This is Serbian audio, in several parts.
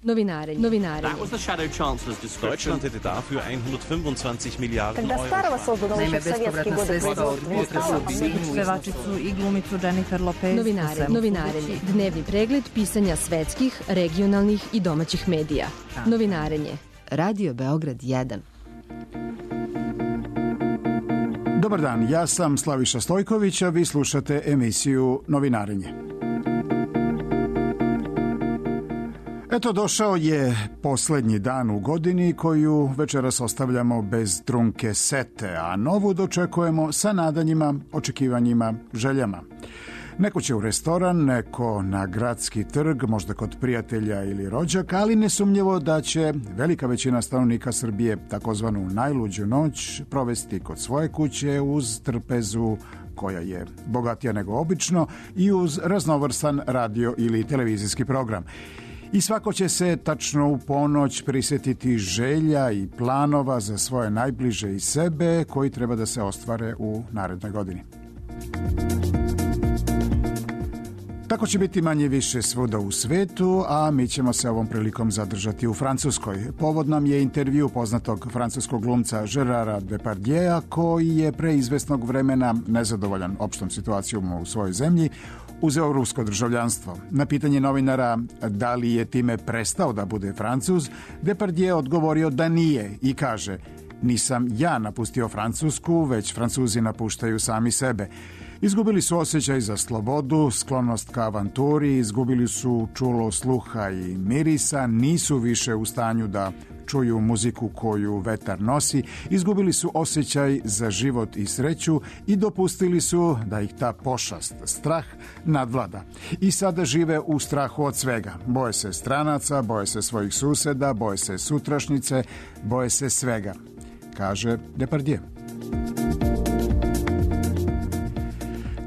Novinarenje. That was the Shadow Chancellor's description. Deutschland hätte dafür 125 Miliarden Когда Старого создано еще в советские годы Pevačicu i glumicu Jennifer Lopez. Novinarenje. Dnevni pregled pisanja svetskih, regionalnih i domaćih medija. Novinarenje. Radio Beograd 1. Dobar dan, ja sam Slaviša Stojković, a vi slušate emisiju Novinarenje. Eto, došao je posljednji dan u godini koju večeras ostavljamo bez trunke sete, a novu dočekujemo sa nadanjima, očekivanjima, željama. Neko će u restoran, neko na gradski trg, možda kod prijatelja ili rođaka, ali nesumnjivo da će velika većina stanovnika Srbije takozvanu najluđu noć provesti kod svoje kuće uz trpezu koja je bogatija nego obično i uz raznovrstan radio ili televizijski program. I svako će se tačno u ponoć prisjetiti želja i planova za svoje najbliže i sebe koji treba da se ostvare u narednoj godini. Tako će biti manje više svuda u svetu, a mi ćemo se ovom prilikom zadržati u Francuskoj. Povod nam je intervju poznatog francuskog glumca Gérarda Depardieu'a, koji je pre izvesnog vremena, nezadovoljan opštom situacijom u svojoj zemlji, uzeo rusko državljanstvo. Na pitanje novinara da li je time prestao da bude Francuz, Depardieu odgovorio da nije i kaže: nisam ja napustio Francusku, već Francuzi napuštaju sami sebe. Izgubili su osjećaj za slobodu, sklonost ka avanturi, izgubili su čulo sluha i mirisa, nisu više u stanju da čuju muziku koju vetar nosi, izgubili su osjećaj za život i sreću i dopustili su da ih ta pošast, strah, nadvlada. I sada žive u strahu od svega. Boje se stranaca, boje se svojih suseda, boje se sutrašnjice, boje se svega, kaže Depardieu.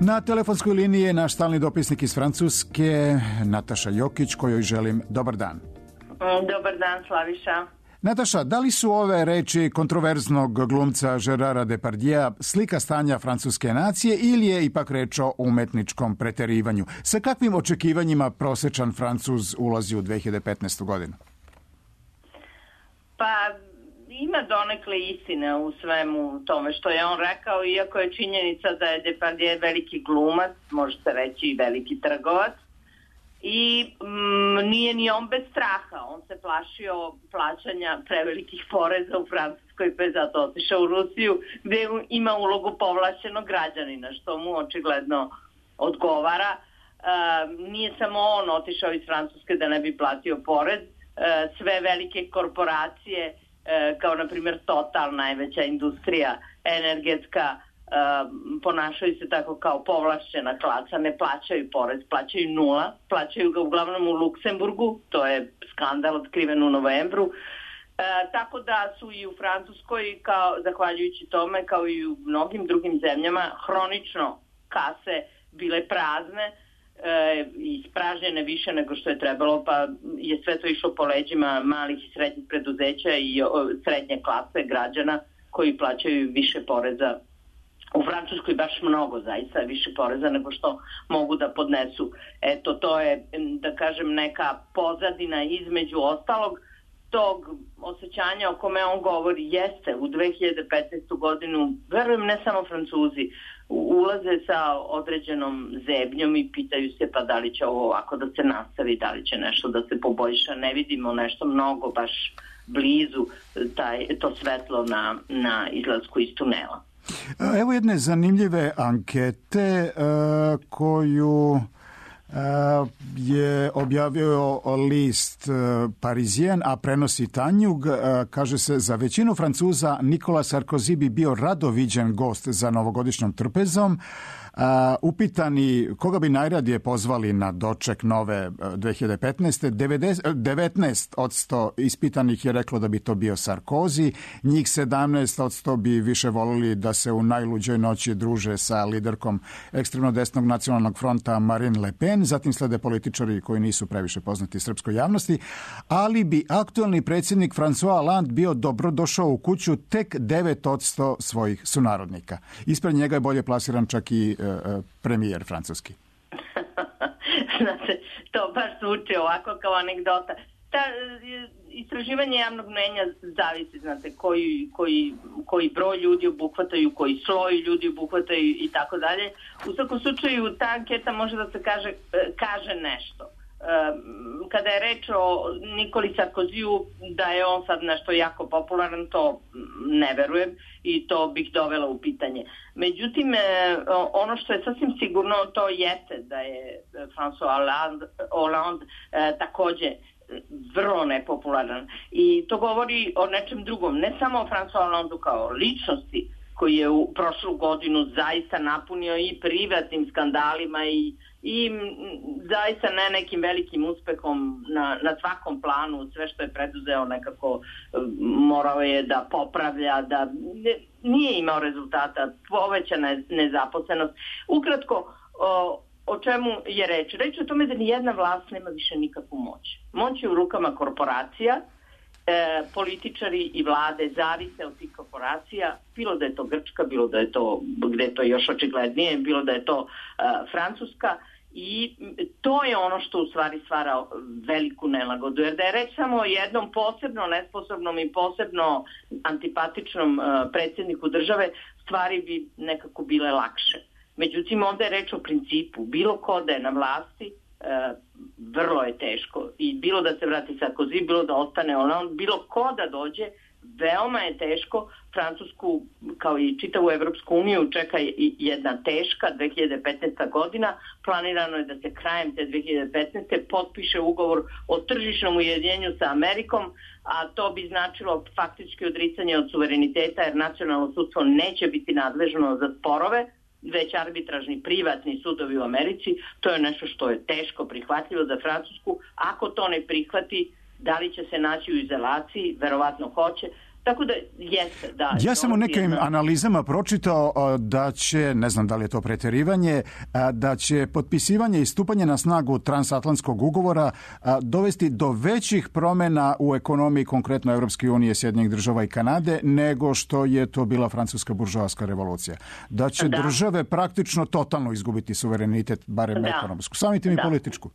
Na telefonskoj liniji je naš stalni dopisnik iz Francuske, Nataša Jokić, kojoj želim dobar dan. Dobar dan, Slaviša. Nataša, da li su ove reči kontroverznog glumca Gérarda Depardieu'a slika stanja francuske nacije ili je ipak reč o umetničkom preterivanju? Sa kakvim očekivanjima prosečan Francuz ulazi u 2015. godinu? Pa ima donekle istine u svemu tome što je on rekao, iako je činjenica da je Depardieu veliki glumac, može se reći i veliki trgovac, i nije ni on bez straha. On se plašio plaćanja prevelikih poreza u Francuskoj, pa je zato otišao u Rusiju, gde ima ulogu povlašćenog građanina, što mu očigledno odgovara. Nije samo on otišao iz Francuske da ne bi platio porez. Sve velike korporacije, kao na primjer Total, najveća industrija energetska, ponašaju se tako kao povlašćena klasa, ne plaćaju porez, plaćaju nula, plaćaju ga uglavnom u Luksemburgu, to je skandal otkriven u novembru, tako da su i u Francuskoj, zahvaljujući tome, kao i u mnogim drugim zemljama, hronično kase bile prazne, ispražnjene više nego što je trebalo, pa je sve to išlo po leđima malih i srednjih preduzeća i srednje klase građana koji plaćaju više poreza. U Francuskoj baš mnogo, zaista više poreza nego što mogu da podnesu. Eto, to je, da kažem, neka pozadina između ostalog tog osjećanja o kome on govori. Jeste, u 2015. godinu, verujem, ne samo Francuzi, ulaze sa određenom zebnjom i pitaju se pa da li će ovo ovako da se nastavi, da li će nešto da se poboljša. Ne vidimo nešto mnogo baš blizu to svetlo na izlasku iz tunela. Evo jedne zanimljive ankete koju je objavio list Parisien, a prenosi Tanjug. Kaže se: za većinu Francuza Nicolas Sarkozy bi bio rado viđen gost za novogodišnjom trpezom. Upitani koga bi najradije pozvali na doček nove 2015. 19% ispitanih je reklo da bi to bio Sarkozy, njih 17% bi više volili da se u najluđoj noći druže sa liderkom ekstremno desnog nacionalnog fronta Marine Le Pen, zatim slede političari koji nisu previše poznati srpskoj javnosti, ali bi aktuelni predsjednik François Hollande bio dobrodošao u kuću tek 9% svojih sunarodnika. Ispred njega je bolje plasiran čak i premijer francuski. Znate, to baš zvuči ovako kao anegdota. istraživanje javnog mnenja zavisi, znate, koji broj ljudi obuhvataju, koji sloj ljudi obuhvataju i tako dalje. U svakom slučaju ta anketa može da se kaže nešto. Kada je reč o Nikoli Sarkoziju, da je on sad nešto jako popularan, to ne verujem i to bih dovela u pitanje. Međutim, ono što je sasvim sigurno, to jeste da je François Hollande takođe vrlo nepopularan. I to govori o nečem drugom, ne samo o François Hollandeu kao ličnosti, koji je u prošlu godinu zaista napunio i privatnim skandalima i zaista ne nekim velikim uspehom na svakom planu. Sve što je preduzeo nekako morao je da popravlja, da nije imao rezultata, povećana nezaposlenost. Ukratko, o čemu je reč? Reč je o tome da nijedna vlast nema više nikakvu moć. Moć je u rukama korporacija, političari i vlade zavise od tih korporacija, bilo da je to Grčka, bilo da je to, gde je to još očiglednije, bilo da je to Francuska, i to je ono što u stvari stvara veliku nelagodu. Jer da je reč samo o jednom posebno nesposobnom i posebno antipatičnom predsjedniku države, stvari bi nekako bile lakše. Međutim, onda je reč o principu. Bilo ko da je na vlasti, vrlo je teško. I bilo da se vrati Sarkozy, bilo da ostane Hollande, bilo ko da dođe, veoma je teško. Francusku, kao i čitavu Evropsku uniju, čeka jedna teška 2015. godina. Planirano je da se krajem te 2015. potpiše ugovor o tržišnom ujedinjenju sa Amerikom, a to bi značilo faktički odricanje od suvereniteta, jer nacionalno sudstvo neće biti nadležno za sporove, već arbitražni privatni sudovi u Americi. To je nešto što je teško prihvatljivo za Francusku. Ako to ne prihvati, da li će se naći u izolaciji? Verovatno hoće. Tako da jeste, da. Ja sam u nekim analizama pročitao da će, ne znam da li je to pretjerivanje, da će potpisivanje i stupanje na snagu transatlantskog ugovora dovesti do većih promjena u ekonomiji, konkretno Evropske unije, Sjedinjenih država i Kanade, nego što je to bila francuska buržoaska revolucija. Da će države praktično totalno izgubiti suverenitet, barem ekonomsku, samim tim i političku.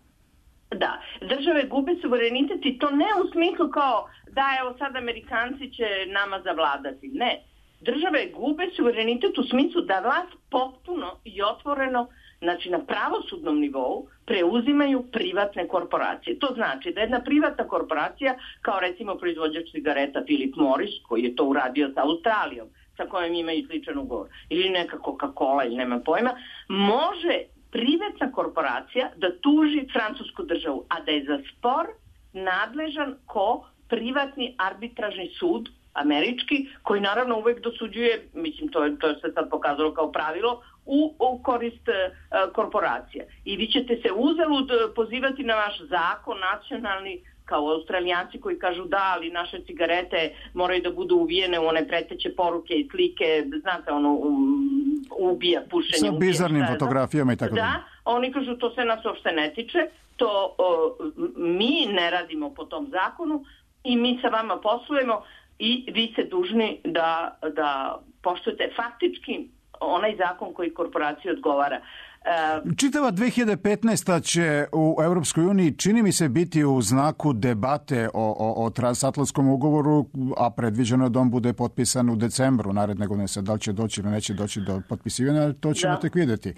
Da, države gube suverenitet i to ne u smislu kao da evo sad Amerikanci će nama zavladati. Ne, države gube suverenitet u smislu da vlast potpuno i otvoreno, znači na pravosudnom nivou, preuzimaju privatne korporacije. To znači da jedna privatna korporacija, kao recimo proizvođač cigareta Philip Morris, koji je to uradio sa Australijom, sa kojom imaju sličan ugovor, ili neka Coca-Cola ili nema pojma, može privatna korporacija da tuži francusku državu, a da je za spor nadležan privatni arbitražni sud američki, koji naravno uvek dosuđuje, mislim to je se sad pokazalo kao pravilo, u korist korporacija. I vi ćete se uzalud pozivati na vaš zakon nacionalni, kao Australijanci koji kažu da, ali naše cigarete moraju da budu uvijene u one preteće poruke i slike, znate, ono, ubija pušenje. Sa bizarnim fotografijama i tako da. Da, oni kažu to se nas uopšte ne tiče, to mi ne radimo po tom zakonu i mi sa vama poslujemo i vi ste dužni da poštujete faktički onaj zakon koji korporaciji odgovara. Čitava 2015. će u Europskoj uniji, čini mi se, biti u znaku debate o transatlantskom ugovoru, a predviđeno da on bude potpisan u decembru naredne godine. Da li će doći ili neće doći do potpisivanja, to ćemo tek vidjeti.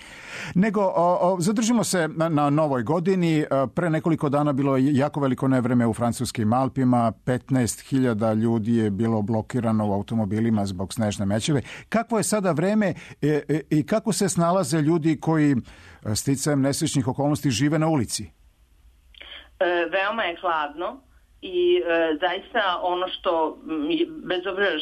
Nego, zadržimo se na novoj godini. Pre nekoliko dana bilo je jako veliko nevreme u francuskim Alpima. 15.000 ljudi je bilo blokirano u automobilima zbog snežne mećave. Kakvo je sada vreme i kako se snalaze ljudi koji sticajem nesrećnih okolnosti žive na ulici? Veoma je hladno i zaista ono što, bez obzira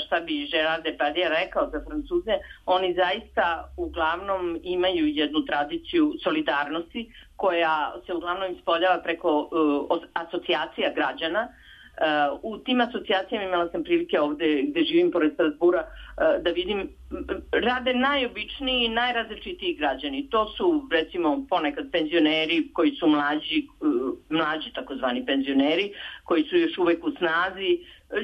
šta bi Gérard Depardieu rekao za Francuze, oni zaista uglavnom imaju jednu tradiciju solidarnosti koja se uglavnom ispoljava preko asocijacija građana. U tim asocijacijama imala sam prilike ovde gde živim pored Strasbura da vidim, rade najobičniji i najrazličitiji građani. To su recimo ponekad penzioneri koji su mlađi takozvani penzioneri, koji su još uvek u snazi,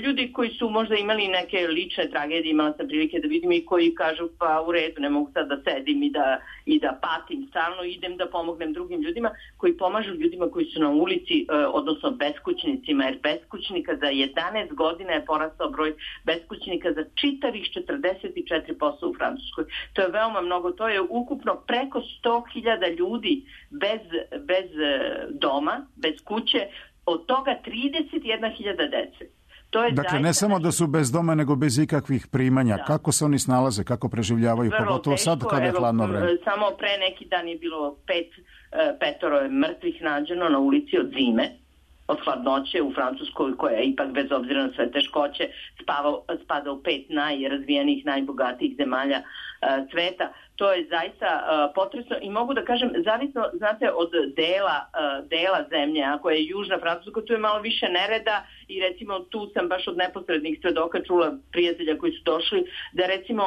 ljudi koji su možda imali neke lične tragedije, imala sam prilike da vidim, i koji kažu pa u redu, ne mogu sad da sedim i da patim stalno, idem da pomognem drugim ljudima, koji pomažu ljudima koji su na ulici, odnosno beskućnicima, jer beskućnika za 11 godina je porastao broj beskućnika za čitavih 44% u Francuskoj. To je veoma mnogo, to je ukupno preko 100.000 ljudi bez doma, bez kuće, od toga 31.000 dece. Dakle, ne samo da su bez doma, nego bez ikakvih primanja. Da. Kako se oni snalaze, kako preživljavaju, pogotovo sad kada je hladno vreme? Samo pre neki dan je bilo petoro je mrtvih nađeno na ulici od zime, od hladnoće u Francuskoj, koja je ipak bez obzira na sve teškoće spada u 5 najrazvijenijih, najbogatijih zemalja sveta. To je zaista potresno i mogu da kažem, zavisno, znate, od dela zemlje, ako je južna Francuska, tu je malo više nereda i recimo tu sam baš od neposrednih svedoka čula prijatelja koji su došli da recimo,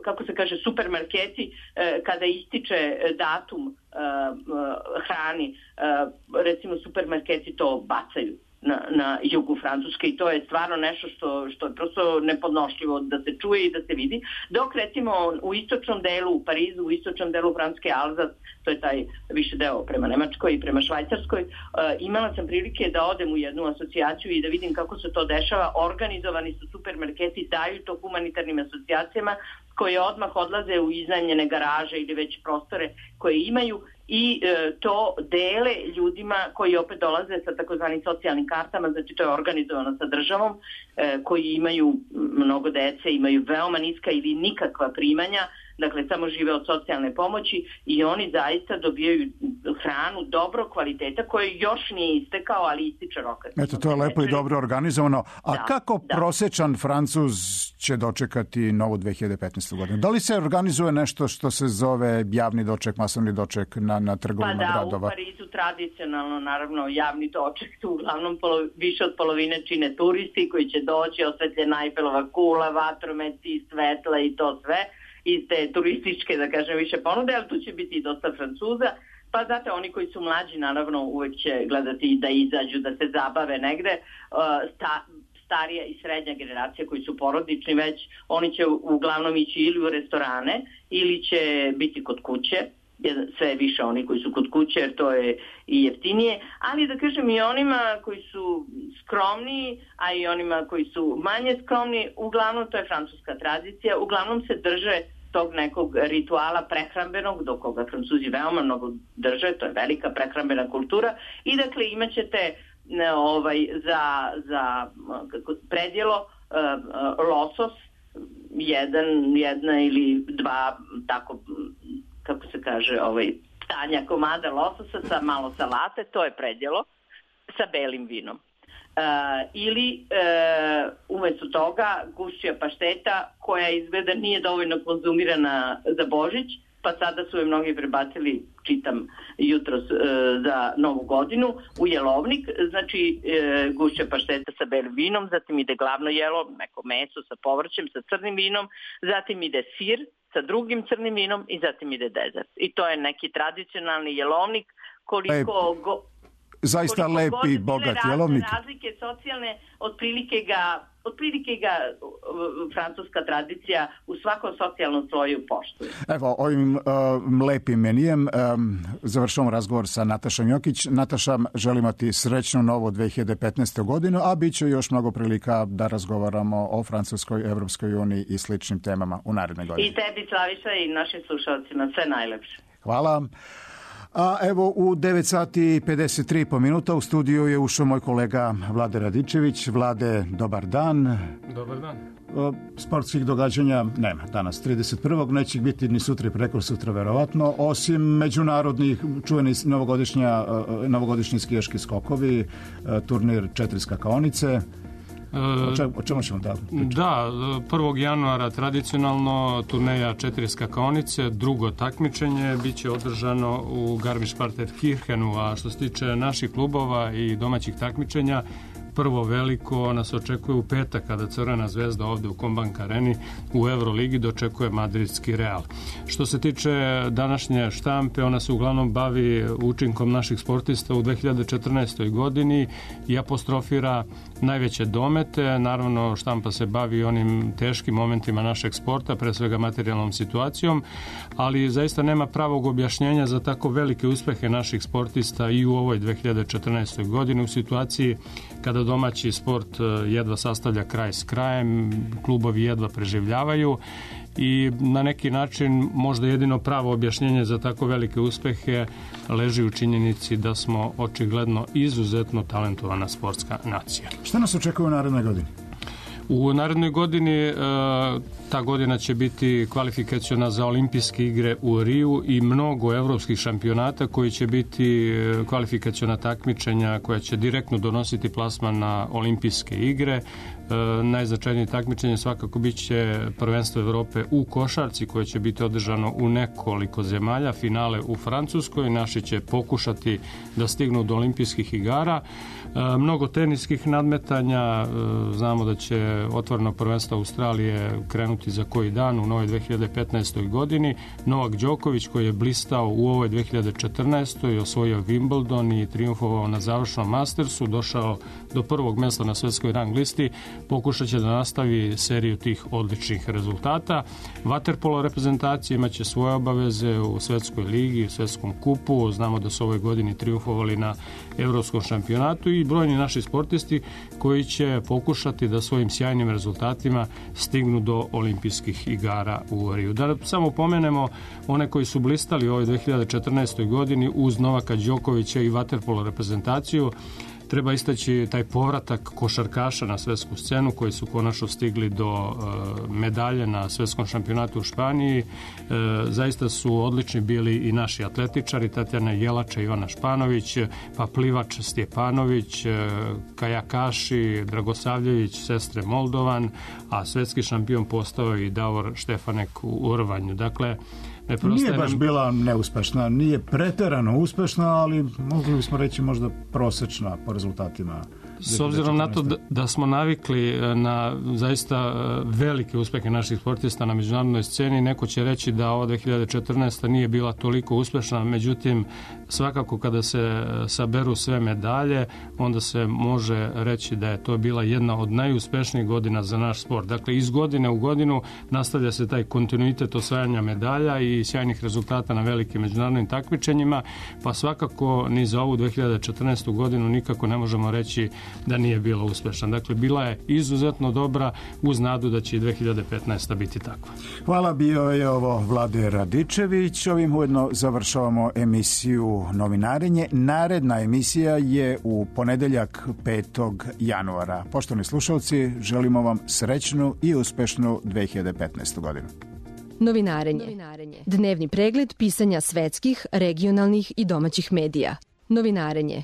kako se kaže, supermarketi kada ističe datum hrani, recimo supermarketi to bacaju na jugu Francuske i to je stvarno nešto što je prosto nepodnošljivo da se čuje i da se vidi. Dok recimo u istočnom delu, u Parizu, u istočnom delu Francuske, Alzas, to je taj više deo prema Nemačkoj i prema Švajcarskoj, imala sam prilike da odem u jednu asocijaciju i da vidim kako se to dešava. Organizovani su supermarketi, daju to humanitarnim asocijacijama koje odmah odlaze u iznajmljene garaže ili već prostore koje imaju i to dele ljudima koji opet dolaze sa takozvanim socijalnim kartama, znači to je organizovano sa državom, koji imaju mnogo dece, imaju veoma niska ili nikakva primanja, dakle samo žive od socijalne pomoći i oni zaista dobijaju hranu dobrog kvaliteta koji još nije istekao, ali ističe rok. Eto, to je lepo i dobro organizovano. A kako prosječan Francuz će dočekati novu 2015. godinu? Da li se organizuje nešto što se zove javni doček, masovni doček na trgovima gradova? Pa da, u Parizu tradicionalno, naravno, javni doček tu uglavnom više od polovine čine turisti koji će doći, osvetljena Eiffelova kula, vatrometi, svetla i to sve iz te turističke, da kažem, više ponude, ali tu će biti i dosta Francuza. Pa znate, oni koji su mlađi, naravno, uvek će gledati da izađu, da se zabave negde. Starija i srednja generacija koji su porodični već, oni će uglavnom ići ili u restorane ili će biti kod kuće. Sve više oni koji su kod kuće, jer to je i jeftinije, ali da kažem i onima koji su skromni, a i onima koji su manje skromni, uglavnom to je francuska tradicija, uglavnom se drže tog nekog rituala prehrambenog, do koga Francuzi veoma mnogo drže, to je velika prehrambena kultura i dakle imat ćete za predjelo losos, jedna ili dva tako, kako se kaže, tanja komada lososa sa malo salate, to je predjelo, sa belim vinom. Ili umjesto toga gušća pašteta koja izgleda nije dovoljno konzumirana za Božić, pa sada su je mnogi prebacili, čitam jutros, za Novu godinu u jelovnik, znači gušća pašteta sa belim vinom, zatim ide glavno jelo, neko meso sa povrćem, sa crnim vinom, zatim ide sir sa drugim crnim vinom i zatim ide dezert. I to je neki tradicionalni jelovnik zaista lep i bogat jelovnik. Razlike socijalne, otprilike ga francuska tradicija u svakom socijalnom sloju poštuje. Evo, ovim lepim menijem završavamo razgovor sa Natašom Jokić. Nataša, želimo ti srećnu novu 2015. godinu, a bit će još mnogo prilika da razgovaramo o Francuskoj, Evropskoj uniji i sličnim temama u narednoj godini. I tebi, Slaviša, i našim slušalcima sve najlepše. Hvala. A evo u 9 sati i 53 po minuta u studiju je ušao moj kolega Vlade Radičević. Vlade, dobar dan. Dobar dan. Sportskih događanja nema danas 31. Neće biti ni sutra i preko sutra verovatno, osim međunarodnih čuveni novogodišnji skijaški skokovi, turnir 4 skakaonice. O čemu ćemo da pričati? Da, 1. januara tradicionalno turneja 4 skakaonice, drugo takmičenje biće održano u Garmisch-Partenkirchenu, a što se tiče naših klubova i domaćih takmičenja, prvo veliko nas očekuje u petak kada Crvena zvezda ovde u Kombank areni u Euroligi dočekuje madridski Real. Što se tiče današnje štampe, ona se uglavnom bavi učinkom naših sportista u 2014. godini i apostrofira najveće domete. Naravno, štampa se bavi onim teškim momentima našeg sporta, pre svega materijalnom situacijom, ali zaista nema pravog objašnjenja za tako velike uspehe naših sportista i u ovoj 2014. godini u situaciji kada domaći sport jedva sastavlja kraj s krajem, klubovi jedva preživljavaju i na neki način možda jedino pravo objašnjenje za tako velike uspehe leži u činjenici da smo očigledno izuzetno talentovana sportska nacija. Šta nas očekuje u narednoj godini? U narednoj godini ta godina će biti kvalifikaciona za olimpijske igre u Riju i mnogo evropskih šampionata koji će biti kvalifikaciona takmičenja koja će direktno donositi plasman na olimpijske igre. Najznačajnije takmičenje svakako biće prvenstvo Evrope u košarci koje će biti održano u nekoliko zemalja, finale u Francuskoj, naši će pokušati da stignu do olimpijskih igara. Mnogo teniskih nadmetanja, znamo da će otvoreno prvenstvo Australije krenuti za koji dan u novoj 2015. godini. Novak Đoković koji je blistao u ovoj 2014. i osvojio Wimbledon i triumfovao na završnom Mastersu, došao do prvog mesta na svetskoj rang listi, pokušat će da nastavi seriju tih odličnih rezultata. Vaterpolo reprezentacija imaće svoje obaveze u svetskoj ligi, u svetskom kupu. Znamo da su ove godini triumfovali na evropskom šampionatu i brojni naši sportisti koji će pokušati da svojim sjajnim rezultatima stignu do olimpijskih igara u Riju. Da samo pomenemo one koji su blistali u ovoj 2014. godini uz Novaka Đokovića i vaterpolo reprezentaciju. Treba istaći taj povratak košarkaša na svetsku scenu koji su konačno stigli do medalje na svetskom šampionatu u Španiji. Zaista su odlični bili i naši atletičari, Tatjana Jelača, Ivana Španović, pa plivač Stjepanović, kajakaši Dragosavljević, sestre Moldovan, a svetski šampion postao i Davor Štefanek u rvanju. Dakle, nije baš bila neuspešna, nije preterano uspešna, ali mogli bismo reći možda prosečna po rezultatima. S obzirom na to da smo navikli na zaista velike uspehe naših sportista na međunarodnoj sceni, neko će reći da ova 2014. nije bila toliko uspešna, međutim svakako kada se saberu sve medalje, onda se može reći da je to bila jedna od najuspešnijih godina za naš sport. Dakle, iz godine u godinu nastavlja se taj kontinuitet osvajanja medalja i sjajnih rezultata na velikim međunarodnim takmičenjima, pa svakako ni za ovu 2014. godinu nikako ne možemo reći da nije bila uspešna. Dakle, bila je izuzetno dobra uz nadu da će i 2015. biti takva. Hvala, bio je ovo Vlade Radičević. Ovim ujedno završavamo emisiju Novinarenje. Naredna emisija je u ponedeljak 5. januara. Poštovani slušalci, želimo vam srećnu i uspešnu 2015. godinu. Novinarenje. Dnevni pregled pisanja svetskih, regionalnih i domaćih medija. Novinarenje.